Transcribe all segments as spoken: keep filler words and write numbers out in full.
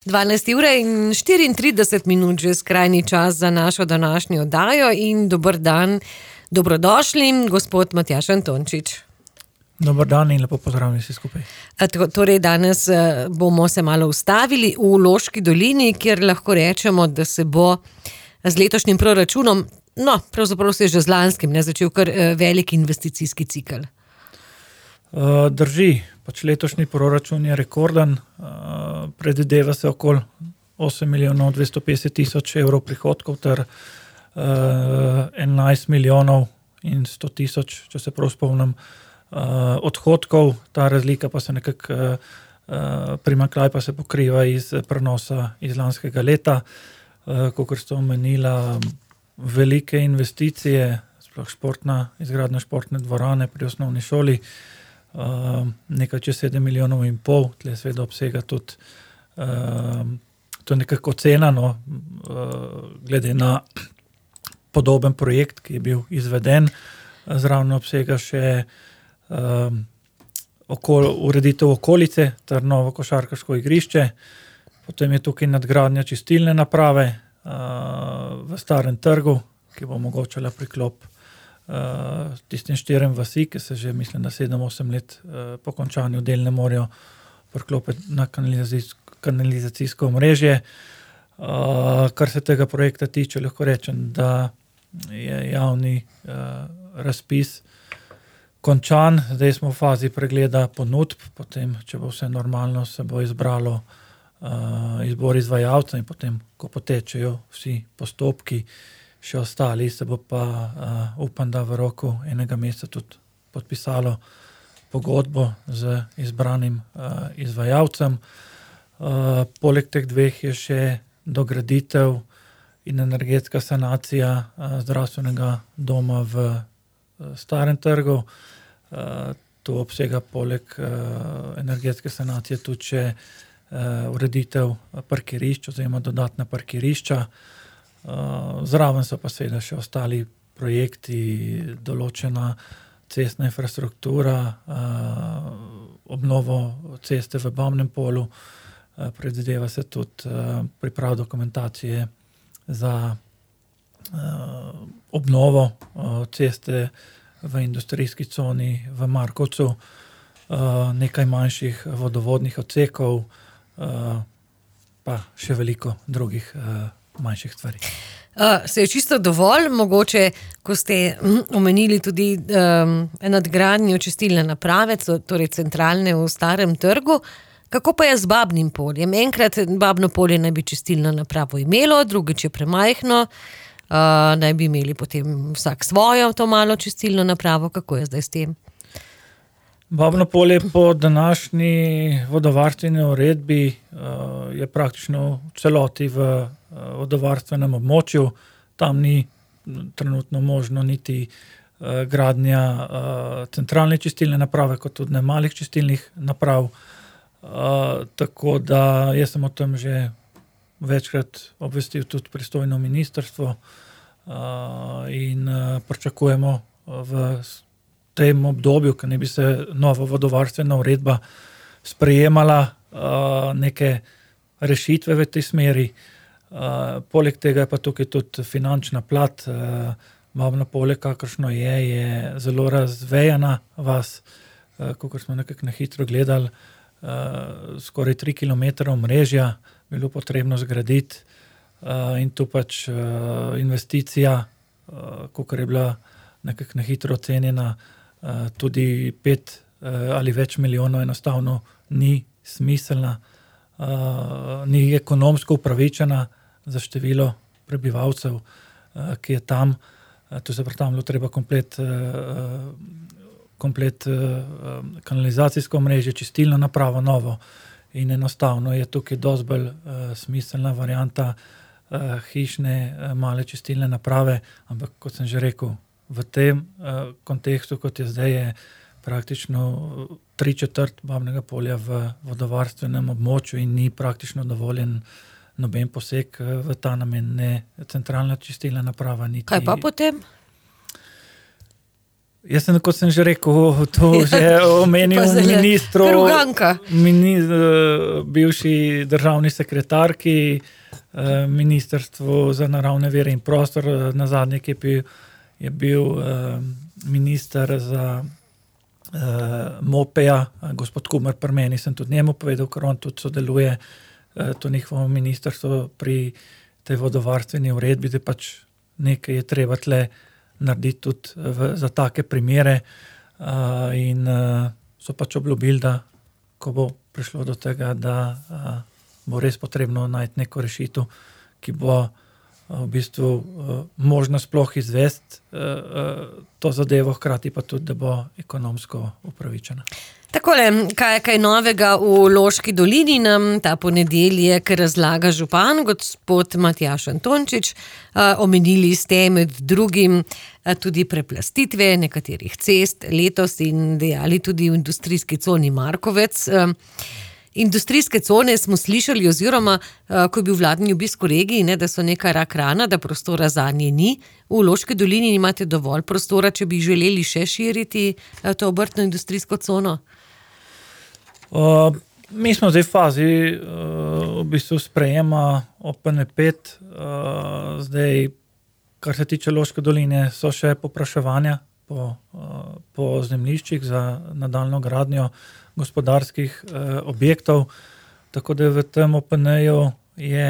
dvanajst ure in štiriintrideset minut že skrajni čas za našo današnjo oddajo in dober dan, dobrodošli, gospod Matjaž Antončič. Dober dan in lepo pozdravljeni vsi skupaj. Torej danes bomo se malo ustavili v Loški dolini, kjer lahko rečemo, da se bo z letošnjim proračunom, no, pravzaprav se je že z lanskim, ne, začel kar velik investicijski cikel. Drži, pač letošnji proračun je rekorden, predvideva se okoli osem milijonov dvesto petdeset tisoč evrov prihodkov ter enajst milijonov in sto tisoč, če se prav spomnim, odhodkov. Ta razlika pa se nekako, primanjkljaj pa se pokriva iz prenosa iz lanskega leta, kakor ste omenila, velike investicije, sploh športna, izgradnja športne dvorane pri osnovni šoli, Uh, nekaj čez sedem milijonov in pol, tle seveda obsega tudi, uh, to je nekako cena, no, uh, glede na podoben projekt, ki je bil izveden, zraven obsega še uh, okol, ureditev okolice ter novo košarkarsko igrišče, potem je tukaj nadgradnja čistilne naprave uh, v Starem trgu, ki bo omogočala priklop Uh, tistim štirem vasi, ki se že, mislim, da sedem osem let uh, po končanju del ne morajo priklopiti na kanalizacijsko, kanalizacijsko omrežje. Uh, kar se tega projekta tiče, lahko rečem, da je javni uh, razpis končan. Zdaj smo v fazi pregleda ponudb, potem, če bo vse normalno, se bo izbralo uh, izbor izvajalca in potem, ko potečejo vsi postopki, še ostali, se bo pa, uh, upam, da v roku enega meseca tudi podpisalo pogodbo z izbranim uh, izvajalcem. Uh, poleg teh dveh je še dograditev in energetska sanacija uh, zdravstvenega doma v uh, Starem trgu. Uh, to obsega poleg uh, energetske sanacije tudi še uh, ureditev parkirišč oziroma dodatna parkirišča. Uh, zraven so pa seveda še ostali projekti, določena cestna infrastruktura, uh, obnovo ceste v Babnem Polju, uh, predvideva se tudi uh, priprav dokumentacije za uh, obnovo uh, ceste v industrijski coni v Markovcu, uh, nekaj manjših vodovodnih odsekov, uh, pa še veliko drugih uh, manjših stvari. Uh, se je čisto dovolj, mogoče, ko ste hm, omenili tudi um, nadgradnjo čistilne naprave, torej centralne v Starem trgu, kako pa je z Babnim Poljem? Enkrat Babno Polje naj bi čistilno napravo imelo, drugič je premajhno, uh, naj bi imeli potem vsak svojo to malo čistilno napravo, kako je zdaj s tem? Babno Polje po današnji vodovarstveni uredbi uh, je praktično v celoti v uh, vodovarstvenem območju. Tam ni trenutno možno niti uh, gradnja uh, centralne čistilne naprave, kot tudi ne malih čistilnih naprav. Uh, tako da jaz sem o tem že večkrat obvestil tudi pristojno ministrstvo uh, in uh, pričakujemo v tem obdobju, ko ne bi se nova vodovarstvena uredba sprejemala, uh, neke rešitve v tej smeri. Uh, poleg tega je pa tukaj tudi finančna plat. Uh, Babno Polje, kakršno je, je zelo razvejana vas, uh, kakor smo nekako na hitro gledali, uh, skoraj tri kilometre omrežja bilo potrebno zgraditi, uh, in tu pač uh, investicija, uh, kakor je bila nekako na hitro ocenjena, Uh, tudi pet uh, ali več milijonov enostavno ni smiselna, uh, ni ekonomsko upravičena za število prebivalcev, uh, ki je tam. Uh, to se pravi, tam bilo treba komplet, uh, komplet uh, kanalizacijsko mreže, čistilno napravo novo in enostavno je tukaj dosti bolj uh, smiselna varianta uh, hišne uh, male čistilne naprave, ampak kot sem že rekel, v tem uh, kontekstu, kot je zdaj, je praktično tri četrt Babnega Polja v vodovarstvenem območju in ni praktično dovoljen noben poseg v ta namen, ne centralna čistilna naprava. Niti... Kaj pa potem? Jaz sem, kot sem že rekel, to že omenil ministru, mini, bivši državni sekretarki, Ministrstvu za naravne vire in prostor, nazadnje, ki je bil, je bil minister za MOPE-ja, gospod Kumer pri meni, sem tudi njemu povedal, ker on tudi sodeluje to njihovo ministrstvo pri tej vodovarstveni uredbi, da pač nekaj je treba tle narediti tudi v, za take primere uh, in uh, so pač obljubili, da ko bo prišlo do tega, da uh, bo res potrebno najti neko rešitev, ki bo uh, v bistvu uh, možno sploh izvesti uh, uh, to zadevo, hkrati pa tudi, da bo ekonomsko upravičena. Takole, kaj je kaj novega v Loški dolini, nam ta ponedeljek razlaga župan, gospod Matjaž Antončič. Omenili ste med drugim tudi preplastitve nekaterih cest letos in dejali tudi v industrijski coni Markovec. Industrijske cone smo slišali oziroma, ko je bil vladni obisk v regiji, ne, da so neka rak rana, da prostora zanje ni. V Loški dolini imate dovolj prostora, če bi želeli še širiti to obrtno industrijsko cono? Uh, mi smo zdaj v fazi uh, v bistvu sprejema O P N pet. Uh, zdaj, kar se tiče Loške doline, so še popraševanja po, uh, po zemljiščih za nadaljnjo gradnjo gospodarskih uh, objektov. Tako da v tem O P N-ju je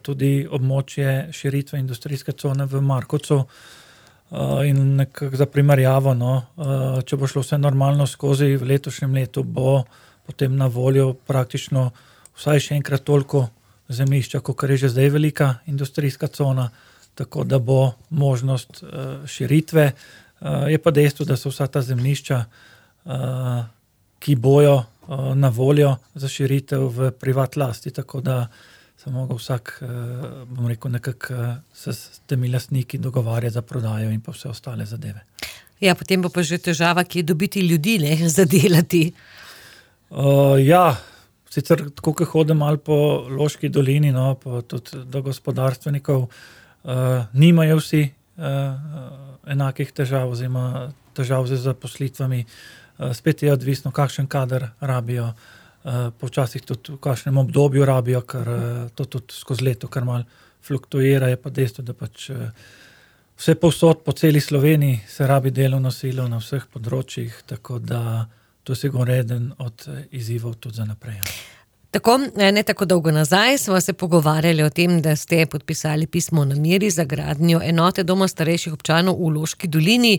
tudi območje širitve industrijske cone v Markovcu. Uh, in nekako za primerjavo, no, uh, če bo šlo vse normalno skozi, v letošnjem letu bo potem na voljo praktično vsaj še enkrat toliko zemljišča, kot je že zdaj velika industrijska cona, tako da bo možnost uh, širitve. Uh, je pa dejstvo, da so vsa ta zemljišča, uh, ki bojo uh, na voljo za širitev v privat lasti, tako da se mogo vsak, uh, bom rekel, nekako uh, se s temi lastniki dogovarja za prodajo in pa vse ostale zadeve. Ja, potem bo pa že težava, ki je dobiti ljudi, ne, zadelati. Uh, ja, sicer tako, ko hodim malo po Loški dolini, no, pa tudi do gospodarstvenikov, uh, nimajo vsi uh, enakih težav, oziroma težav z zaposlitvami. Uh, spet je odvisno, kakšen kader rabijo, uh, počasih tudi v kakšnem obdobju rabijo, ker uh, to tudi skozi leto kar malo fluktuira, je pa dejstvo, da pač uh, vse povsod po celi Sloveniji se rabi delovno silo na vseh področjih, tako da to je sigurno eden od izzivov tudi za naprej. Tako, ne tako dolgo nazaj smo se pogovarjali o tem, da ste podpisali pismo o nameri za gradnjo enote doma starejših občanov v Loški dolini.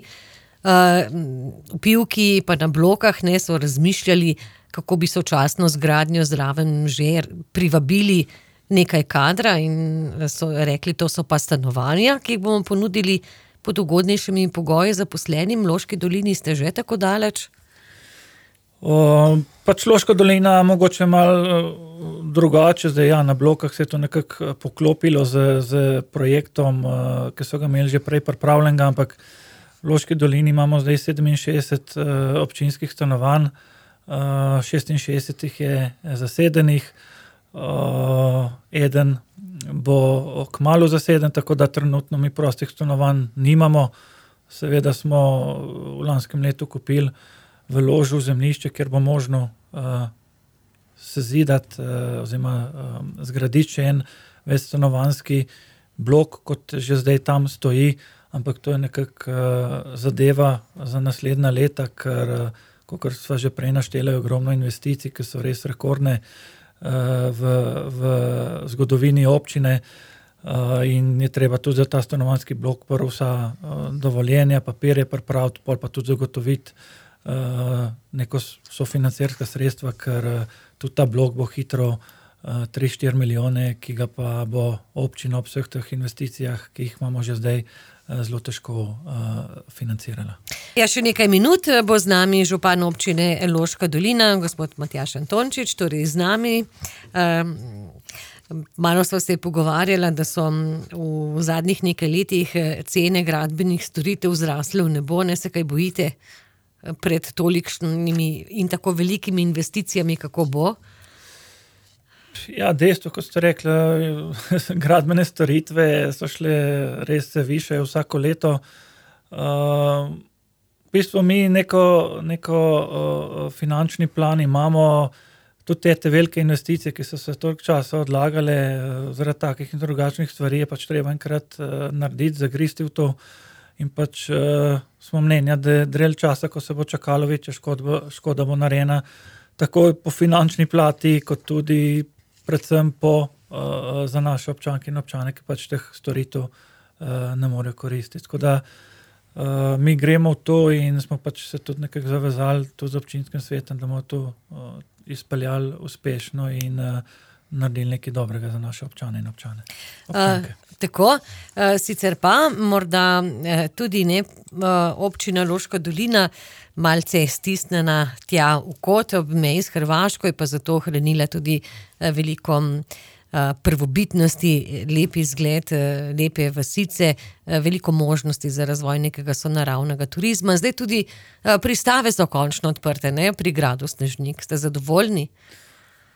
V Pivki pa na Blokah ne, so razmišljali, kako bi sočasno z gradnjo zraven že privabili nekaj kadra in so rekli, to so pa stanovanja, ki jih bomo ponudili pod ugodnejšimi pogoji zaposlenim. V Loški dolini ste že tako daleč? O, pač Loška dolina mogoče malo drugače, zdaj ja, na Blokah se je to nekako poklopilo z, z projektom, ki so ga imeli že prej pripravljenega, ampak v Loški dolini imamo zdaj sedeminšestdeset uh, občinskih stanovanj, uh, šestinšestdeset jih je zasedenih, uh, eden bo kmalu zaseden, tako da trenutno mi prostih stanovanj nimamo. Seveda smo v lanskem letu kupili v ložu zemljišče, kjer bo možno uh, sezidati uh, oziroma uh, zgraditi še en večstanovanjski blok, kot že zdaj tam stoji, ampak to je nekako uh, zadeva za naslednja leta, ker, uh, kakor sva že prej naštela, je ogromno investicij, ki so res rekordne uh, v, v zgodovini občine uh, in je treba tudi za ta stanovanjski blok prvo vsa uh, dovoljenja, papirje pripraviti, pol pa tudi zagotoviti Uh, neko sofinancirska sredstva, ker uh, tudi ta blok bo hitro uh, tri štiri milijone, ki ga pa bo občina ob vseh teh investicijah, ki jih imamo že zdaj, uh, zelo težko uh, financirala. Ja, še nekaj minut bo z nami župan občine Loška dolina, gospod Matjaž Antončič, torej z nami. Um, Malo sva se pogovarjala, da so v zadnjih nekaj letih cene gradbenih storitev zrasle v nebo, ne se kaj bojite pred tolikšnimi in tako velikimi investicijami, kako bo? Ja, dejstvo, kot ste rekli, gradbene storitve so šle res više vsako leto. Uh, v v bistvu mi neko, neko uh, finančni plan imamo, tudi te, te velike investicije, ki so se toliko časa odlagale, uh, zaradi takih in drugačnih stvari, je pač treba enkrat uh, narediti, zagristi v to in pač uh, smo mnenja, da je drel časa, ko se bo čakalo večja škoda, škoda bo narejena, tako po finančni plati, kot tudi predvsem po, uh, za naše občanke in občane, ki pač teh storitev uh, ne morejo koristiti. Tako da uh, mi gremo v to in smo pač se tudi nekako zavezali tudi z občinskim svetom, da bomo to uh, izpeljali uspešno in uh, naredili nekaj dobrega za naše občane in občane. Uh, tako, uh, sicer pa morda uh, tudi ne uh, občina Loška dolina malce stisnjena tja v kot ob meji s Hrvaško, je pa zato ohranila tudi uh, veliko uh, prvobitnosti, lep izgled, uh, lepe vasice, uh, veliko možnosti za razvoj nekega sonaravnega turizma. Zdaj tudi uh, pristave so končno odprte, ne, pri gradu Snežnik. Ste zadovoljni?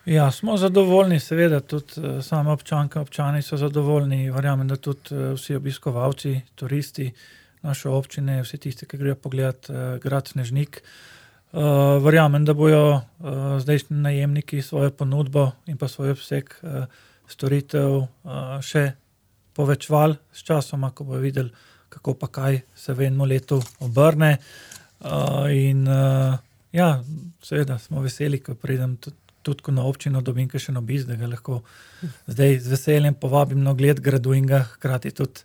Ja, smo zadovoljni, seveda, tudi uh, same občanke, občani so zadovoljni, verjamem, da tudi uh, vsi obiskovalci, turisti naše občine, vsi tisti, ki grejo pogledati uh, grad Snežnik. Uh, verjamem, da bojo uh, zdajšnji najemniki svojo ponudbo in pa svoj obseg uh, storitev uh, še povečvali s časoma, ko bojo videli, kako pa kaj se v enem letu obrne. Uh, in uh, ja, seveda smo veseli, ko pridem tudi tudi ko na občino dobim kakšen obisk, da ga lahko zdaj z veseljem povabim na ogled gradu in ga hkrati tudi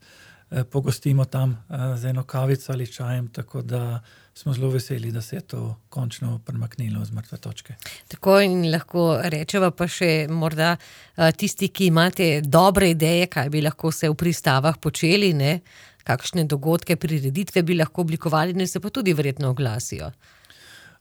eh, pogostimo tam eh, z eno kavico ali čajem, tako da smo zelo veseli, da se je to končno premaknilo z mrtve točke. Tako in lahko rečeva pa še morda eh, tisti, ki imate dobre ideje, kaj bi lahko se v pristavah počeli, ne? Kakšne dogodke, prireditve bi lahko oblikovali, ne se pa tudi verjetno oglasijo.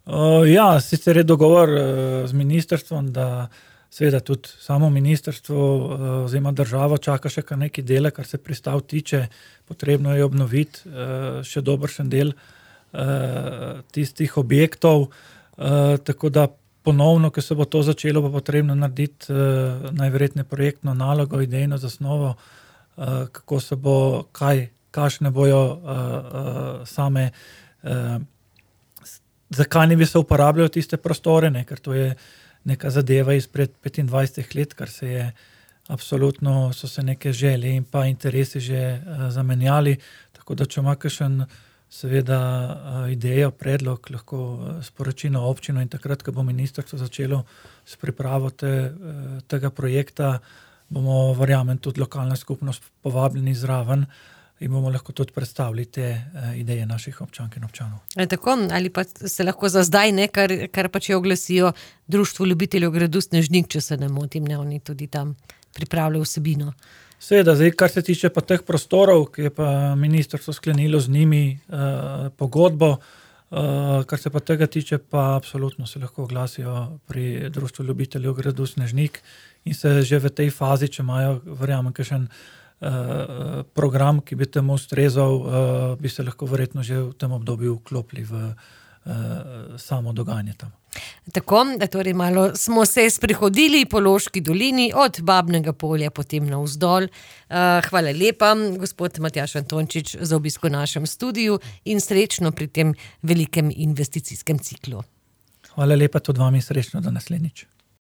Uh, ja, sicer je dogovor uh, z ministrstvom, da seveda tudi samo ministrstvo uh, oziroma država čaka še kar nekaj dela, kar se pristav tiče, potrebno je obnoviti uh, še dobršen del uh, tistih objektov, uh, tako da ponovno, ko se bo to začelo, bo potrebno narediti uh, najverjetneje projektno nalogo, idejno zasnovo, uh, kako se bo, kaj, kakšne bojo uh, uh, same uh, zakaj ne bi se uporabljali tiste prostore, ne? Ker to je neka zadeva izpred petindvajset let, kar se je absolutno, so se neke želje in pa interesi že uh, zamenjali, tako da če ima kakšen seveda uh, idejo, predlog, lahko uh, sporoči na občino in takrat, ko bo ministrstvo začelo s pripravo te, uh, tega projekta, bomo, verjamem, tudi lokalna skupnost povabljeni zraven in bomo lahko tudi predstavili te uh, ideje naših občank in občanov. E, tako, ali pa se lahko za zdaj, ne, kar, kar pa če oglasijo Društvo ljubiteljev gradu Snežnik, če se ne motim, ne, oni tudi tam pripravljajo vsebino. Seveda, zdaj, kar se tiče pa teh prostorov, ki je pa ministrstvo sklenilo z njimi uh, pogodbo, uh, kar se pa tega tiče, pa absolutno se lahko oglasijo pri Društvu ljubiteljev gradu Snežnik in se že v tej fazi, če imajo, verjamem, kakšen Uh, program, ki bi temu ustrezal, uh, bi se lahko verjetno že v tem obdobju vklopili v uh, samo dogajanje tam. Tako, da torej malo smo se sprehodili po Loški dolini od Babnega polja potem navzdol. Uh, hvala lepa, gospod Matjaž Antončič, za obisk v našem studiu in srečno pri tem velikem investicijskem ciklu. Hvala lepa tudi vam in srečno do naslednjič.